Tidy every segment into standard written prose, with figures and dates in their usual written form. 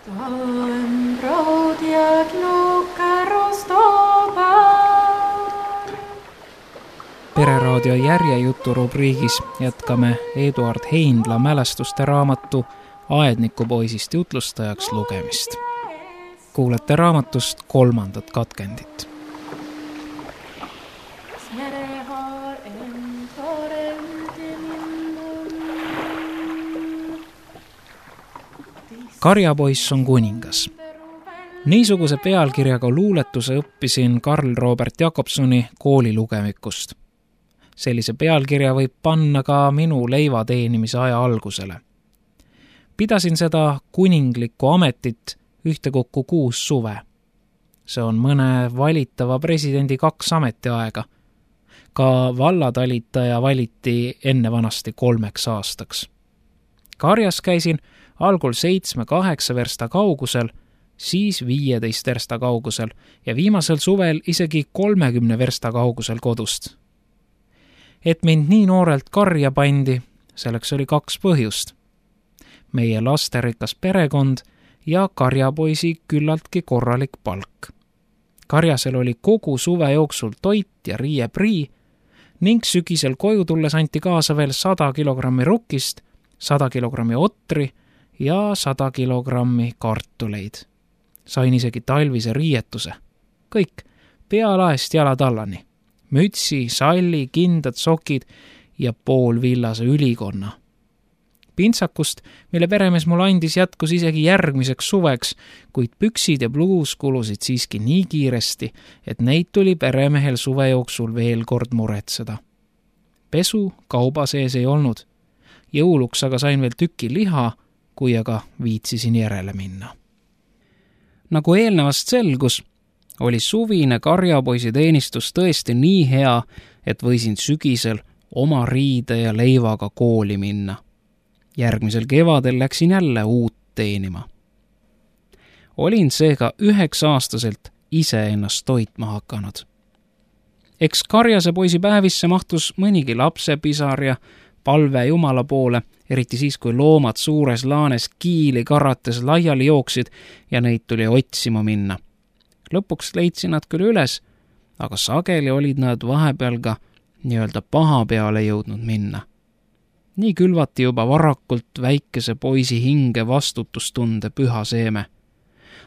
Stałem brod jak nuka rostobar. Pereraadio järjejuturubriigis jätkame Eduard Heinla mälestuste raamatu Aednikupoisist jutlustajaks lugemist. Kuulete raamatust 3. katkendit. Karjapoiss on kuningas. Niisuguse pealkirjaga luuletuse õppisin Karl Robert Jakobsoni koolilugemikust. Sellise pealkirja võib panna ka minu leiva teenimise aja algusele. Pidasin seda kuninglikku ametit ühtekokku 6 suve. See on mõne valitava presidendi 2 ametiaega. Ka vallatalitaja valiti enne vanasti 3 aastaks. Karjas käisin algul 7-8 versta kaugusel, siis 15 versta kaugusel ja viimasel suvel isegi 30 versta kaugusel kodust. Et mind nii noorelt karja pandi, selleks oli 2 põhjust. Meie lasterikas perekond ja karjapoisi küllaltki korralik palk. Karjasel oli kogu suve jooksul toit ja riieprii ning sügisel koju tulles anti kaasa veel 100 kilogrammi rukkist, 100 kilogrammi otri ja 100 kilogrammi kartuleid. Sain isegi talvise riietuse. Kõik, pealaest jalatallani. Mütsi, salli, kindad, sokid ja poolvillase ülikonna. Pintsakust, mille peremees mulle andis, jätkus isegi järgmiseks suveks, kuid püksid ja pluus kulusid siiski nii kiiresti, et neid tuli peremehel suve jooksul veel kord muretseda. Pesu kauba sees ei olnud. Jõuluks aga sain veel tüki liha, kui aga viitsisin järele minna. Nagu eelnevast selgus, oli suvine karjapoisi teenistus tõesti nii hea, et võisin sügisel oma riide ja leivaga kooli minna. Järgmisel kevadel läksin jälle uut teenima. Olin seega 9-aastaselt ise ennast toitma hakanud. Eks karjase poisi päevisse mahtus mõnigi lapsepisar ja palve Jumala poole, eriti siis, kui loomad suures laanes kiili karates laiali jooksid ja neid tuli otsima minna. Lõpuks leidsin nad küll üles, aga sageli olid nad vahepeal ka nii-öelda paha peale jõudnud minna. Nii külvati juba varakult väikese poisi hinge vastutustunde püha seeme.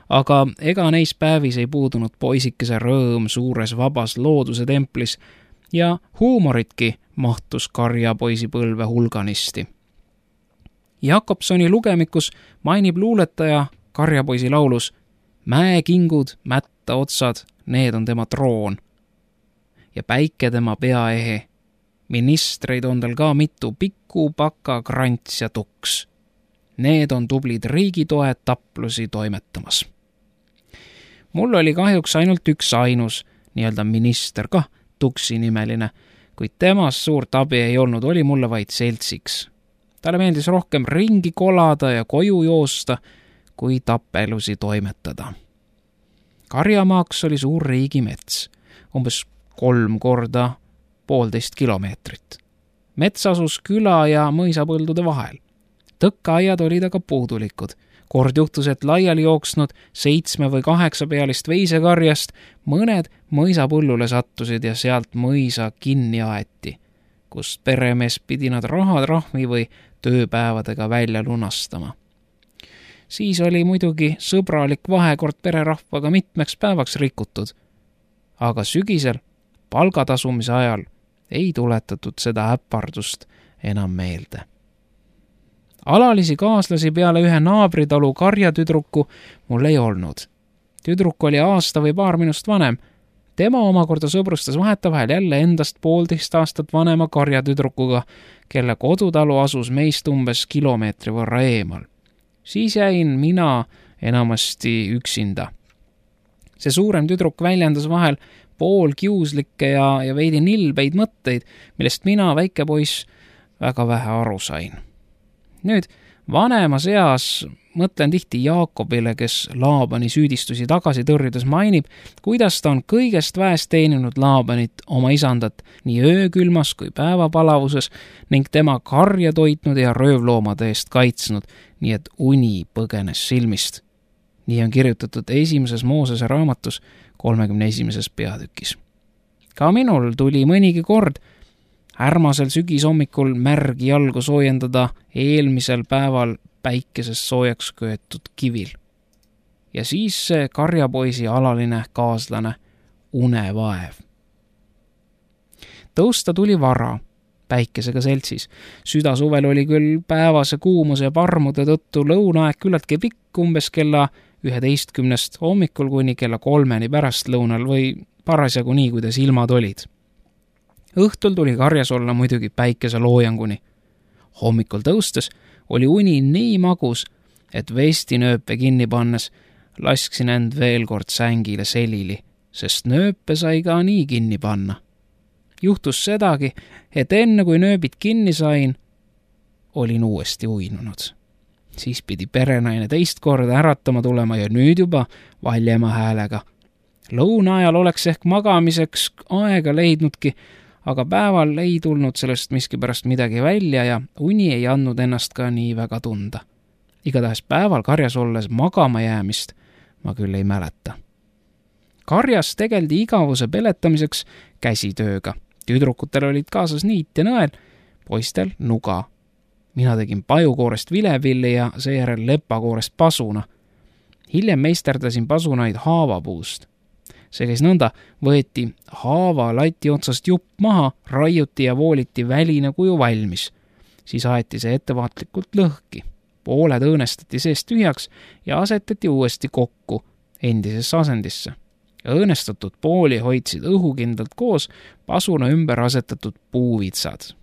Aga ega neis päevis ei puudunud poisikese rõõm suures vabas looduse templis ja huumoritki mahtus karjapoisi põlve hulganisti. Jakobsoni lugemikus mainib luuletaja karjapoisi laulus: mäekingud, mätta otsad, need on tema troon. Ja päike tema peaehe. Ministreid on tal ka mitu, Pikku, Paka, Krants ja Tuks. Need on tublid riigitoed taplusi toimetamas. Mul oli kahjuks ainult üks ainus, nii-öelda minister kah, Tuksi nimeline, kuid temast suurt abi ei olnud, oli mulle vaid seltsiks. Talle meeldis rohkem ringi kolada ja koju joosta, kui tappelusi toimetada. Karjamaaks oli suur riigimets, umbes 3 korda 1,5 kilomeetrit. Mets asus küla ja mõisapõldude vahel. Tõkkeaiad olid aga puudulikud. Kord juhtus, et laiali jooksnud 7 või 8 pealist veisekarjast mõned mõisapõllule sattusid ja sealt mõisa kinni aeti, kus peremees pidi nad rahatrahvi või tööpäevadega välja lunastama. Siis oli muidugi sõbralik vahekord pererahvaga mitmeks päevaks rikutud, aga sügisel palgatasumise ajal ei tuletatud seda äppardust enam meelde. Alalisi kaaslasi peale ühe naabritalu karjatüdruku mul ei olnud. Tüdruk oli aasta või paar minust vanem. Tema omakorda sõbrustas vahetevahel jälle endast 1,5 aastat vanema karjatüdrukuga, kelle kodutalu asus meist umbes kilomeetri võrra eemal. Siis jäin mina enamasti üksinda. See suurem tüdruk väljendas vahel poolkiuslikke ja veidi nilbeid mõtteid, millest mina, väike poiss, väga vähe aru sain. Nüüd vanemas eas mõtlen tihti Jaakobile, kes Laabani süüdistusi tagasi tõrjudes mainib, kuidas ta on kõigest väest teeninud Laabanit, oma isandat, nii öökülmas kui päevapalavuses ning tema karja toitnud ja röövloomade eest kaitsnud, nii et uni põgenes silmist. nii on kirjutatud esimeses Moosese raamatus 31. peatükis. Ka minul tuli mõnigi kord äärmasel sügishommikul märgi jalgu soojendada eelmisel päeval päikeses soojaks köetud kivil. Ja siis see karjapoisi alaline kaaslane unevaev. Tõusta tuli vara, päikesega seltsis. Südasuvel oli küll päevase kuumuse ja parmude tõttu lõunaaeg küllaltki pikk, umbes kella 11 hommikul kuni kella 3 pärastlõunal või parasjagu nii, kuidas ilmad olid. Õhtul tuli karjas olla muidugi päikese loojanguni. Hommikul tõustes oli uni nii magus, et vestinööpe kinni pannes lasksin end veel kord sängile selili, sest nööpe sai ka nii kinni panna. Juhtus sedagi, et enne kui nööbid kinni sain, olin uuesti uinunud. Siis pidi perenaine teist korda äratama tulema ja nüüd juba valjema häälega. Lõuna ajal oleks ehk magamiseks aega leidnudki, aga päeval ei tulnud sellest miskipärast midagi välja ja uni ei andnud ennast ka nii väga tunda. Igatahes päeval karjas olles magama jäämist ma küll ei mäleta. Karjas tegeldi igavuse peletamiseks käsitööga. Tüdrukutel olid kaasas niit ja nõel, poistel nuga. Mina tegin pajukoorest vilepilli ja seejärel lepakoorest pasuna. Hiljem meisterdasin pasunaid haavapuust. See käis nõnda, võeti haava lati otsast jupp maha, raiuti ja vooliti väline kuju valmis. Siis aeti see ettevaatlikult lõhki. Pooled õõnestati seest tühjaks ja asetati uuesti kokku endisesse asendisse. Õõnestatud pooli hoidsid õhukindlalt koos pasuna ümber asetatud puuvitsad.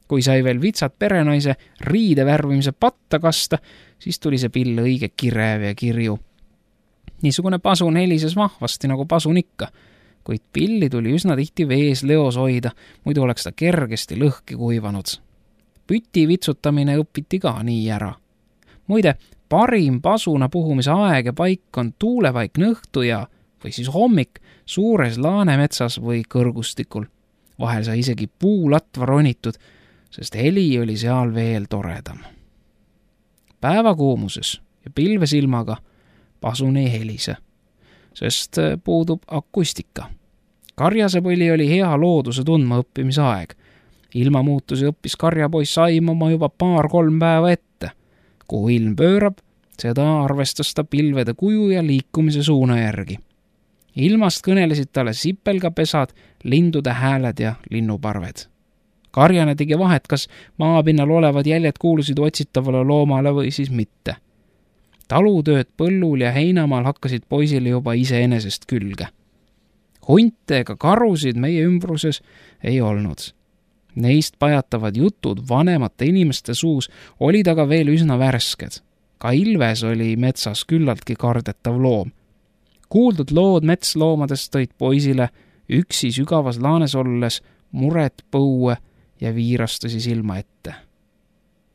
Kui sai veel vitsad perenaise riide värvimise patta kasta, siis tuli see pill õige kirev ja kirju. Niisugune pasun helises vahvasti nagu pasun ikka, kuid pilli tuli üsna tihti vees leos hoida, muidu oleks ta kergesti lõhki kuivanud. Püti vitsutamine õpiti ka nii ära. Muide, parim pasuna puhumise aeg ja paik on tuulevaik nõhtu ja või siis hommik suures laanemetsas või kõrgustikul. Vahel sai isegi puulatva ronitud, sest heli oli seal veel toredam. Päevakuumuses ja pilvesilmaga pasun ei helise, sest puudub akustika. Karjasepõli oli hea looduse tundma õppimise aeg. Ilmamuutusi õppis karjapoiss aimama juba 2-3 päeva ette. Kuhu ilm pöörab, seda arvestas ta pilvede kuju ja liikumise suuna järgi. Ilmast kõnelesid talle sipelgapesad, lindude hääled ja linnuparved. Karjane tegi vahet, kas maapinnal olevad jäljed kuulusid otsitavale loomale või siis mitte. Talutööd põllul ja heinamaal hakkasid poisile juba iseenesest külge. Hunte ega karusid meie ümbruses ei olnud. Neist pajatavad jutud vanemate inimeste suus olid aga veel üsna värsked. Ka Ilves oli metsas küllaltki kardetav loom. Kuuldud lood metsloomadest tõid poisile üksi sügavas laanes olles muret põue ja viirastasi silma ette.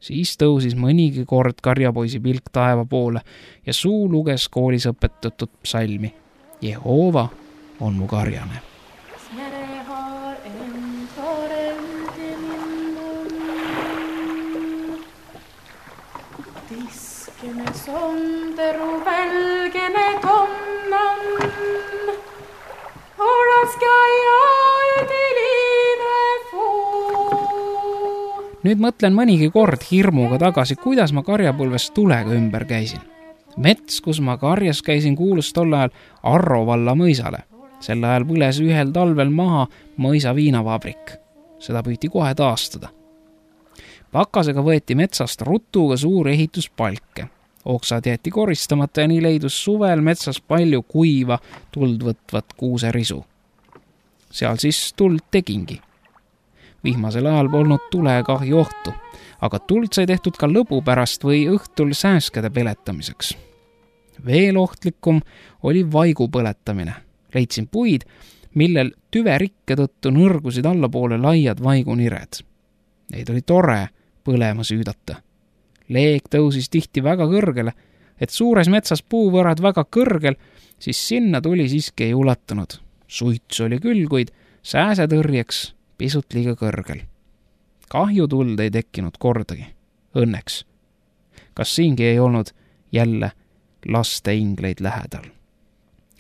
Siis tõusis mõnigi kord karjapoisi pilk taeva poole ja suu luges koolis õpetatud psalmi. Jehova on mu karjane. Tiskene sonderu välgene tomnan, oraska ja üdilive fuu. Nüüd mõtlen mõnigi kord hirmuga tagasi, kuidas ma karjapõlves tulega ümber käisin. Mets, kus ma karjas käisin, kuulus tol ajal Arro valla mõisale. Sel ajal põles ühel talvel maha mõisa viinavabrik. Seda püüti kohe taastada. Pakasega võeti metsast rutuga suur ehituspalke. Oksad jäeti koristamata ja nii leidus suvel metsas palju kuiva, tuld võtvat kuuserisu. Seal siis tuld tegingi. Vihmasel ajal polnud tulekahju ohtu, aga tuld sai tehtud ka lõbu pärast või õhtul sääskede peletamiseks. Veel ohtlikum oli vaigu põletamine. Leidsin puid, millel tüverikke tõttu nõrgusid allapoole laiad vaigunired. Neid oli tore põlema süüdata. Leeg tõusis tihti väga kõrgele, et suures metsas puuvõrad väga kõrgel, siis sinna tuli siiski ei ulatunud. Suits oli küll, kuid sääsetõrjeks pisut liiga kõrgel. Kahjutuld ei tekkinud kordagi. Õnneks. Kas siingi ei olnud jälle laste ingleid lähedal.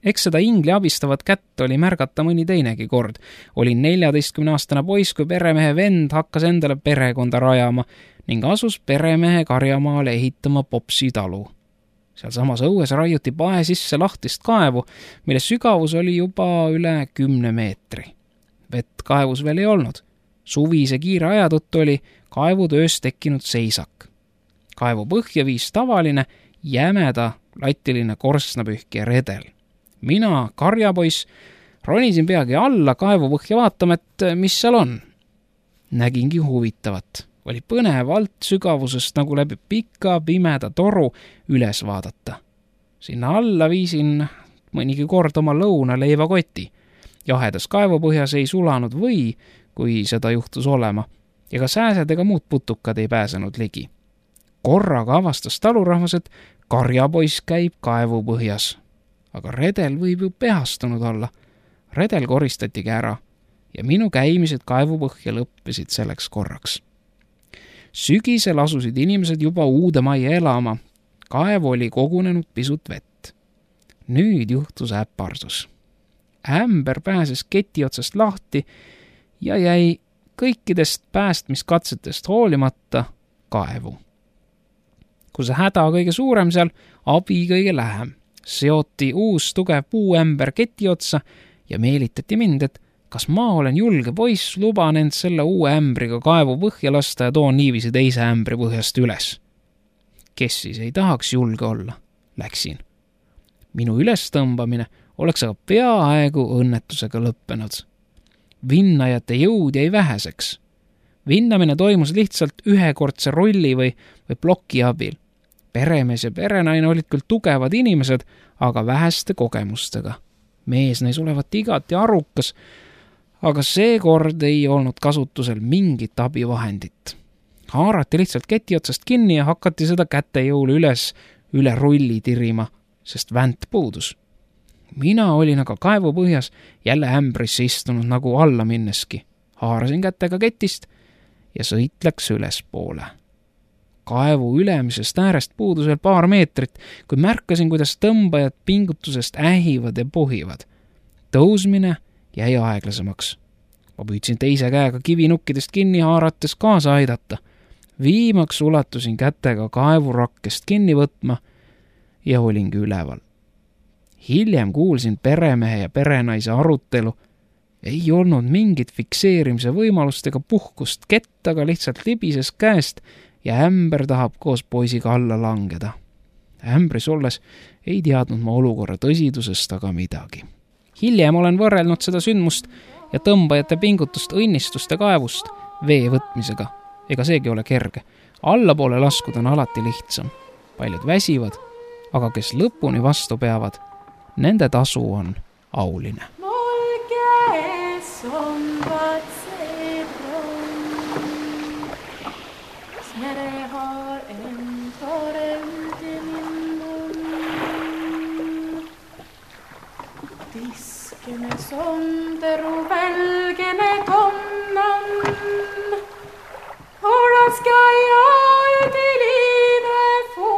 Eks seda ingli abistavat kätt oli märgata mõni teinegi kord. Olin 14-aastane poiss, kui peremehe vend hakkas endale perekonda rajama ning asus peremehe karjamaale ehitama Popsi talu. Seal samas õues raiuti pae sisse lahtist kaevu, mille sügavus oli juba üle 10 meetri. Vett kaevus veel ei olnud. Suvise kiire aja tõttu oli kaevutöös tekkinud seisak. Kaevu põhja viis tavaline, jämeda, latiline korstnapühkija redel. Mina, karjapoiss, ronisin peagi alla kaevu põhja vaatama, et mis seal on. Nägingi huvitavat. Oli põnev alt sügavusest nagu läbi pika, pimeda toru üles vaadata. Sinna alla viisin mõnigi kord oma lõunaleiva-koti. Jahedas kaevupõhjas ei sulanud või, kui seda juhtus olema, ja ka sääsed ega muud putukad ei pääsenud ligi. Korraga avastas talurahvas, et karjapoiss käib kaevupõhjas. Aga redel võib ju pehastunud olla. Redel koristatigi ära ja minu käimised kaevupõhja lõppesid selleks korraks. Sügisel asusid inimesed juba uude majja elama. Kaevu oli kogunenud pisut vett. Nüüd juhtus äpardus. Ämber pääses keti otsast lahti ja jäi kõikidest päästmiskatsetest hoolimata kaevu. Kui see häda kõige suurem seal, abi kõige lähem. Seoti uus tugev puuämber keti otsa ja meelitati mind, et kas ma olen julge poiss, luban end selle uue ämbriga kaevu põhja lasta ja toon niiviisi teise ämbri põhjast üles. Kes siis ei tahaks julge olla? Läksin. Minu ülestõmbamine oleks aga peaaegu õnnetusega lõppenud. Vinnajate jõud jäi väheseks. Vinnamine toimus lihtsalt ühekordse rolli või ploki abil. Peremees ja perenaine olid küll tugevad inimesed, aga väheste kogemustega. Mees näis olevat igati arukas, aga seekord ei olnud kasutusel mingit abivahendit. Haarati lihtsalt keti otsast kinni ja hakati seda kätejõul üle rulli tirima, sest vänt puudus. Mina olin aga kaevu põhjas jälle ämbrisse istunud nagu alla minneski. Haarasin kätega ketist ja sõit läks ülespoole. Kaevu ülemisest äärest puudus veel paar meetrit, kui märkasin, kuidas tõmbajad pingutusest ähivad ja pohivad. Tõusmine jäi aeglasemaks. Ma püüdsin teise käega kivinukkidest kinni haarates kaasa aidata. Viimaks ulatusin kätega kaevurakkest kinni võtma ja olingi üleval. Hiljem kuulsin peremehe ja perenaise arutelu. Ei olnud mingit fikseerimise võimalust ega puhkust, kett aga lihtsalt libises käest ja ämber tahab koos poisiga alla langeda. Ämbris olles ei teadnud ma olukorra tõsidusest aga midagi. Hiljem olen võrrelnud seda sündmust ja tõmbajate pingutust õnnistuste kaevust vee võtmisega. Ega seegi ole kerge. Allapoole laskuda on alati lihtsam. Paljud väsivad, aga kes lõpuni vastu peavad, nende tasu on auline. Tiskene sonderu välgene tomnan, oraska jag utelive få.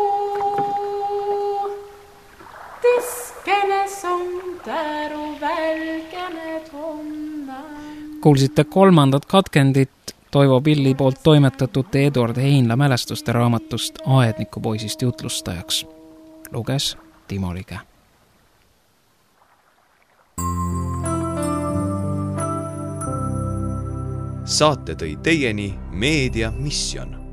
Tiskene sonderu välgene tomnan. Kuulsite 3. katkendit Toivo Pilli poolt toimetatud Eduard Heinla mälestuste raamatust Aednikupoisist jutlustajaks. Luges Timo Lige. Saate tõi teieni Meedia Mission.